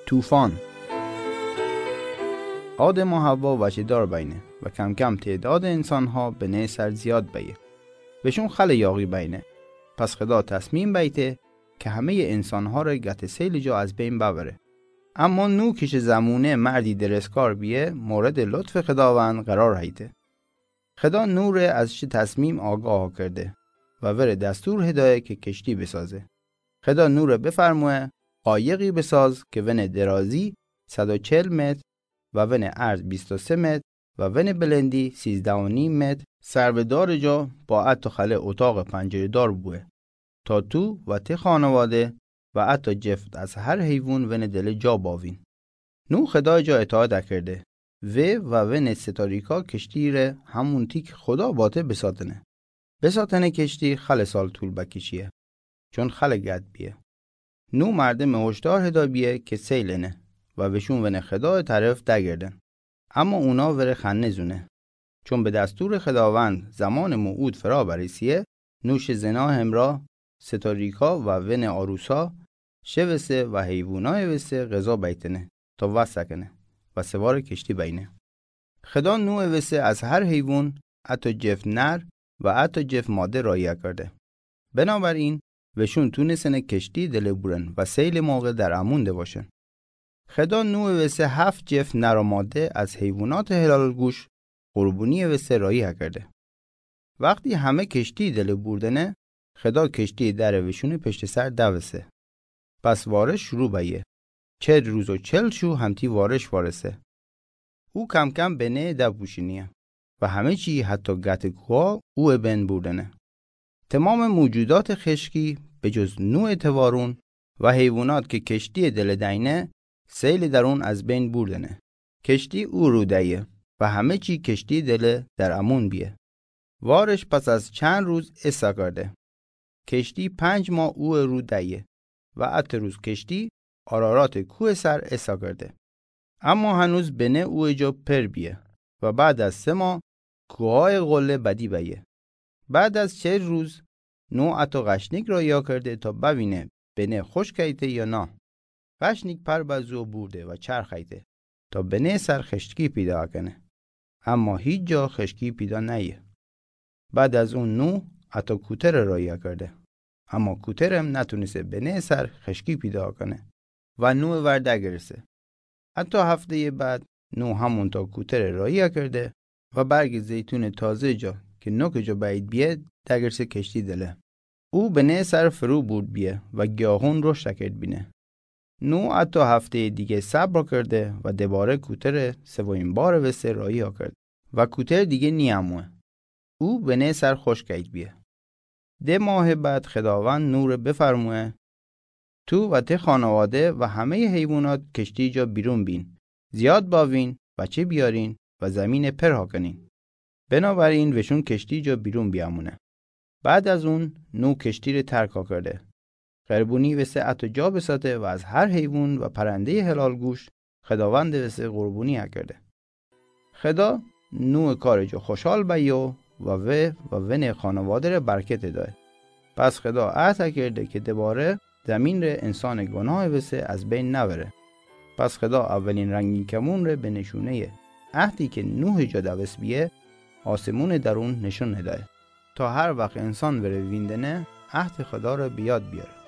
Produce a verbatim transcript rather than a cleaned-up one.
طوفان. آدم و حوا وجه‌دار بأینه و کم‌کم تعداد انسان‌ها بنه سر زیاد بأیه. وشون خلع یاغی بأینه. پس خدا تصمیم بأییده که همهٔ انسان‌ها ره گت سیل جا از بین ببره. اما نوح که شه زمونه مردی درستکار بیه، مورد لطف خداوند قرار هیته. خدا نوح ره از چه تصمیم آگاه کرده و وره دستور هدایه که کشتی بسازه. خدا نوح ره بفرموه: قایقی بساز که ونه درازی صد و چهل متر و ونه عرض بیست و سه متر و ونه بلندی سیزده و نیم متر، سر و دار جا با حتی خلع اتاق پنجره‌دار بوه، تا تو و ته خانواده و حتی جفت از هر حیوان ونه دل جا باوین. نوح خدای جا اطاعت کرده و و ونه ستاریکا کشتی ره همون تی که خدا باته بساتنه. بساتنه کشتی خلع سال طول بکشیه، چون خلع گد بیه. نوح مردم هشدار هدا بیه که سیل انه و وشون ونه خدای طرف دگردن. اما اونا وره خنه زونه. چون به دستور خداوند زمان موعود فرا برسیه، نوح شه زنا همرا ستاریکا و ونه عروسا، شه وسه و حیوانای وسه غذا بیتنه تا وسه کنه و سوار کشتی بأینه. خدا نوح وسه از هر حیوان حتی جفت نر و حتی جفت ماده راهی کرده. بنابراین وشون تونسنه کشتی دل بورن و سیل موقع در امون دواشن. خدا نوح وسه هفت جفت نر و ماده از حیوانات حلال گوشت قربانی وسه راهی کرده. وقتی همه کشتی دل بوردنه، خدا کشتی در وشون پشت سر دوسه. پس وارش شروع بأیه. چهل روز و چهل شو همتی وارش وارسه. او کم‌کم بنه دوپوشینیه و همه چی حتی گت کوها او بین بوردنه. تمام موجودات خشکی به جز نوع توارون و حیوانات که کشتی دل دأینه، سیل درون از بین بوردنه. کشتی او رو دأیه و همه چی کشتی دل در امون بیه. وارش پس از چند روز ایسا کرده. کشتی پنج ماه او رو دأیه و ات روز کشتی آرارات کوه سر ایسا کرده. اما هنوز بنه او جا پر بیه و بعد از سه ماه کوهای قله بدی بأیه. بعد از چهل روز نوح ات غشنیک راهی کرده تا ببینه بنه خشک ایته یا نه. غشنیک پر بزو بورده و چرخ ایته تا بنه سر خشکی پیدا کنه. اما هیچ جا خشکی پیدا نأیه. بعد از اون نوح ات کوتر راهی کرده. اما کوترم نتونسه بنه سر خشکی پیدا کنه و نوع ور دگرسه. حتی هفتهٔ بعد نوح همونتا کوتر راهی کرده و برگ زیتون تازه جا که نوک جا بعید بیه دگرسه کشتی دله. او بنه سر فرو بورد بیه و گیاهون رشد کرد بینه. نوح حتی هفتهٔ دیگه صبر کرده و دوباره کوتر سومین بار وسه راهی کرد و کوتر دیگه نیاموه. او بنه سر خشک ایت بیه. ده ماه بعد خداوند نوح ره بفرموه: تو و ته خانواده و همهٔ حیوانات کشتی جا بیرون بین، زیاد باوین، بچه بیارین و زمین پر کنین. بنابراین وشون کشتی جا بیرون بیامونه. بعد از اون نوح کشتی ره ترک کرده. قربونی وسه ات جا بساته و از هر حیوان و پرندهٔ حلال گوشت خداوند وسه قربونی کرده. خدا نوع کار جا خوشحال بیو و و و ون خانواده ره برکت دای. پس خدا عهد کرده که دوباره زمین ره انسان گناه وسه از بین نبره. پس خدا اولین رنگین کمون ره به نشونهٔ عهدی که نوح جا دوس بیه، آسمون درون نشون دای، تا هر وقت انسان وره ویندنه عهد خدا ره به یاد بیاره.